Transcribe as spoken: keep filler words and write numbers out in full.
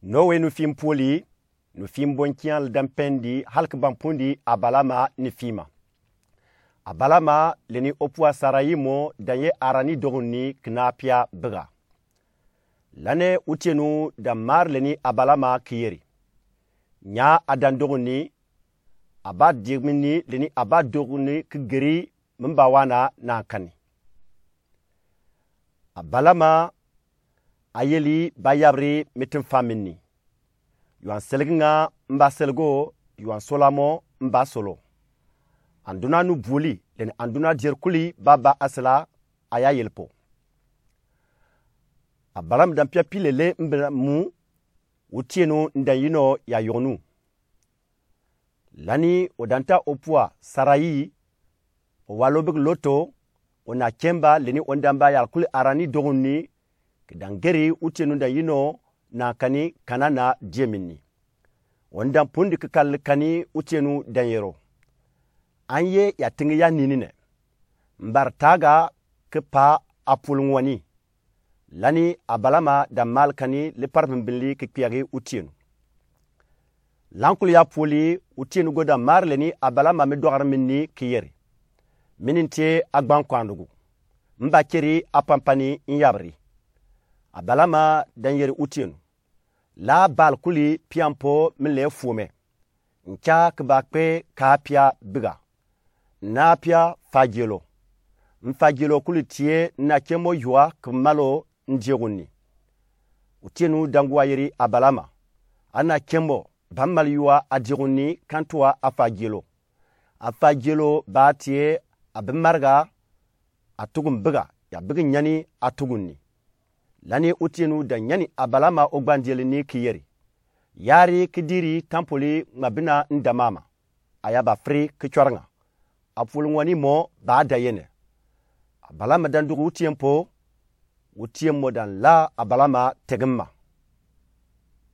Nowe nu fim puoli, nu fim bonkian le dan pɛndi halk ban pundi Abalama ni fima. Abalama leni opua Sarai mo dan ye arani dogun ni kina pia biga. Lane utienu dan mar leni Abalama ki yeri: Nya adan dogun ni, aba dieg mi ni leni aba dogun ni ki geri mi mba wana na kani. Abalama ayeli ba yabri mi tinfa mi ni. Yuan selgi nga mba selgo, yuan sola mo mba solo. Anduna nu buli leni anduna dier kuli baba asela aya yelpo. Abalama dan pia pile le mba mu, utienu ndan yino ya yognu. Lani odanta opua Sarai, owalo bigi loto, ona kemba leni ondan ba yal kuli arani dogun ni, ki dan geri utienu ndan yino na kani Kanana die mi ni. Ondan pundi ki kal kani utienu dan yero: An ye ya tingi ya nini ne? Mbar taga ki pa apul ngwani. Lani Abalama dan mal kani li par bimbinli ki kpiagi utienu. Lan kul ya puoli, utienu go dan mar leni Abalama mi dogar mi ni ki yeri: Mi ni ntie agban kwandugu. Mba keri apampani nyabri. Abalama dan yeri utienu: La bal kuli piampo mi le fuome. Nka ki ba kpe ka pia biga. Na pia fagielo. Nfagielo kuli tie na kemo yua ki malo ndiegun ni. Utienu dan gua yeri Abalama: Ana kemo ba mal yua adiegun ni kantua afagielo. Afagielo ba tie abi marga atugun biga, ya bigi nyani atugun ni. Lani utienu dan nyani Abalama ogbandieli ni ki yeri: Yari ki diri tampoli ngma bina ndamama. Aya ba firi ki cwaranga. Apul ngwani mo ba da yene. Abalama dan dugu utien po, utien mo dan la Abalama tegin ma.